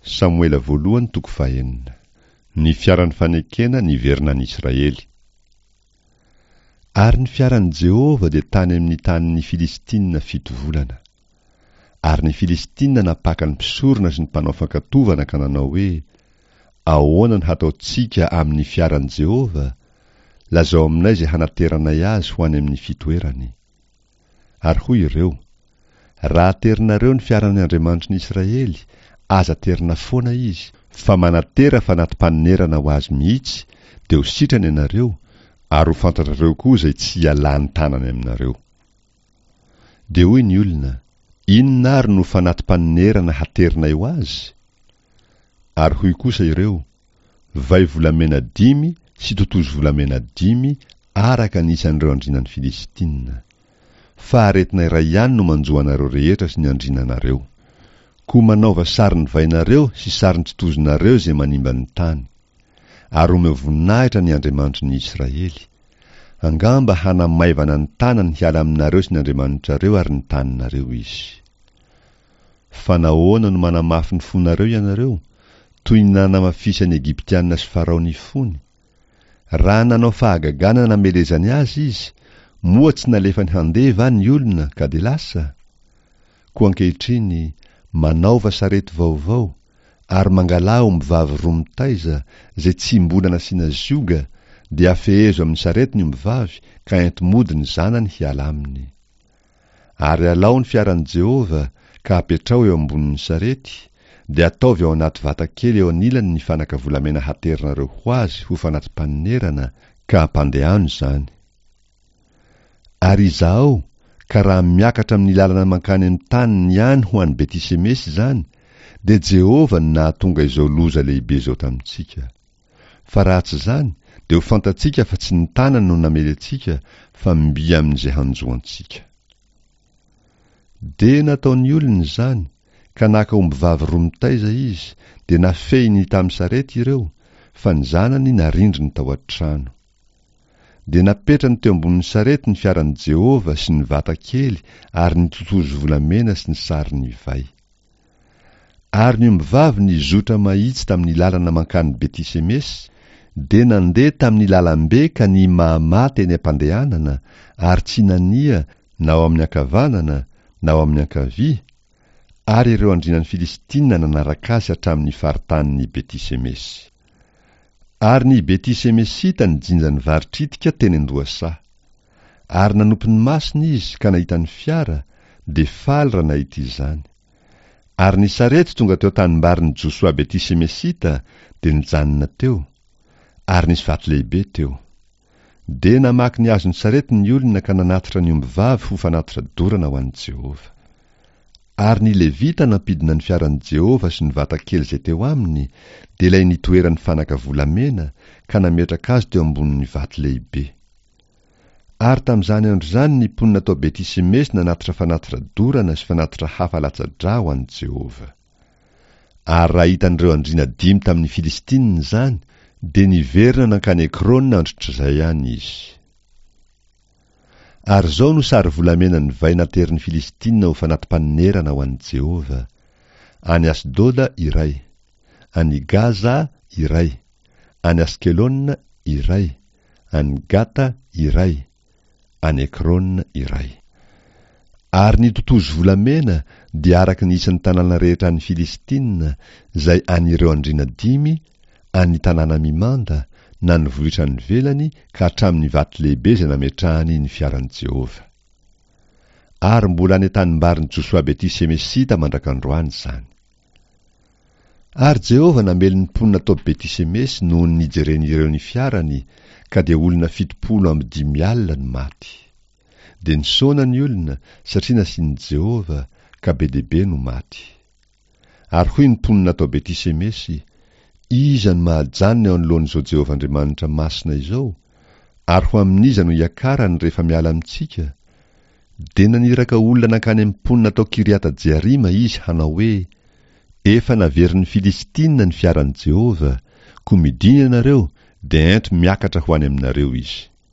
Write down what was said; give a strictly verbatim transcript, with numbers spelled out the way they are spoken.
Samoela voalohany toko fahenina. Ny fiaran'ny fanekena niverina any Israely. Ary ny fiaran'i Jehovah dia tany amin'ny tanin'ny Filistina fito volana. Ary ny Filistina nampaka ny mpisorona sy ny mpanao fankatovana ka nanao hoe, Ahoana no hataontsika amin'ny fiaran'i Jehovah? Lazao aminay izay hanateranay azy ho any amin'ny fitoerany. Ary hoy ireo, Raha aterinareo ny fiaran'ny Andriamanitry ny Israely, aza aterina foana izy, fa manatera fanati-panonerana ho azy mihitsy, dia ho sitrana ianareo, ary ho fantatrareo koa izay tsy hialan'ny tanany aminareo. Dia hoy ny olona, Inona ary no fanati-panonerana haterinay ho azy? Ary hoy kosa ireo, Vay volamena dimy sy totozy volamena dimy araka ny isan'ireo andrianan'ny Filistina. Fa aretina iray ihany no manjo anareo rehetra sy ny andriananareo. Koa manaova sarin'ny vainareo sy sarin-totozinareo izay manimba ny tany. Ary omeo voninahitra ny Andriamanitry ny Israely. Angamba hanamaivana ny tanany hiala aminareo sy ny andriamanitrareo ary ny taninareo izy. Fa nahoana no manamafy ny fonareo ianareo, toy ny nanamafisan'ny Egyptiana sy Farao ny fony? Raha nanao fahagagana namelezany azy izy, moa tsy nalefany handeha va ny olona ka dia lasa? Koa ankehitriny, manaova sarety vaovao, ary mangalà ombivavy roa mitaiza, izay tsy mbola nasiana zioga, dia afehezo amin'ny sarety ny ombivavy ka ento mody ny zanany hiala aminy. Ary alao ny fiaran'i Jehovah, ka apetraho eo ambonin'ny sarety, dia ataovy ao anaty vata kely eo anilany ny fanaka volamena haterinareo ho azy ho fanati-panonerana, ka ampandehano izany. Ary izahao, ka raha miakatra amin'ny lalana mankany amin'ny taniny ihany ho any Beti-semesy izany, dia Jehovah no nahatonga izao loza lehibe izao tamintsika. Fa raha tsy izany, dia ho fantatsika fa tsy ny tanany no namely antsika, fa mby amin'izay hanjo antsika. Dia nataon'ny olona izany, ka naka ombivavy roa mitaiza izy, dia nafehiny tamin'ny sarety ireo, fa ny zanany narindriny tao an-trano. Dia napetrany teo ambonin'ny sarety ny fiaran'i Jehovah sy ny vata kely ary ny totozy volamena sy ny sarin'ny vay. Ary ny ombivavy nizotra mahitsy tamin'ny lalana mankany Beti-semesy, dia nandeha tamin'ny lalambe ka nihimahamaha teny am-pandehanana, ary tsy nania na ao amin'ny ankavanana na ao amin'ny ankavia, ary ireo andrianan'ny Filistina nanaraka azy hatramin'ny faritanin'i Beti-semesy. Ary ny Beti-semesita nijinja ny vary tritika teny an-dohasaha. Ary nanopy ny masony izy ka nahita ny fiara, dia faly raha nahita izany. Ary ny sarety tonga teo an-tanimbarin'i Josoa Beti-semesita dia nijanona teo, ary nisy vato lehibe teo. Dia namaky ny hazon'ny sarety ny olona ka nanatitra ny ombivavy ho fanatitra dorana ho an'i Jehovah. Ary ny Levita nampidina ny fiaran'i Jehovah sy ny vata kely izay teo aminy, dia ilay nitoeran'ny fanaka volamena, ka nametraka azy teo ambonin'ny vato lehibe. Ary tamin'izany andro izany ny mponina tao Beti-semesy nanatitra fanatitra dorana sy fanatitra hafa latsa-drà ho an'i Jehovah. Ary raha hitan'ireo andriana dimy tamin'ny Filistinina izany, dia niverina nankany Ekrona androtr'izay ihany izy. Ary izao no sary volamena nivay naterin'ny Filistinina ho fanati-panonerana ho an'i Jehovah, any Asdoda iray, any Gaza iray, any Askelona iray, any Gata iray, any Ekrona iray. Ary ny totozy volamena dia araka ny isan'ny tanàna rehetra any Filistina, izay an'ireo andriana dimy, an'ny tanàna mimanda, na ny vohitra any ivelany ka hatramin'ny vato lehibe izay nametrahany ny fiaran'i Jehovah. Ary mbola any an-tanimbarin'i Josoa Beti-semesita mandrak'androany izany. Ary Jehovah namely ny mponina tao Beti-semesy noho ny nijeren'ireo ny fiarany, ka dia olona fitopolo amby dimy alina no maty. Dia nisaona ny olona, satria nasian'i Jehovah, ka be dia be no maty. Ary hoy ny mponina tao Beti-semesy, Iza no mahajanona eo anoloan'izao Jehovah Andriamanitra masina izao? Ary ho amin'iza no hiakarany rehefa miala amintsika? Dia naniraka olona nankany amin'ny mponina tao Kiriata-jearima izy hanao hoe, Efa naverin'ny Filistina ny fiaran'i Jehovah, koa midina ianareo, dia ento miakatra ho any aminareo izy.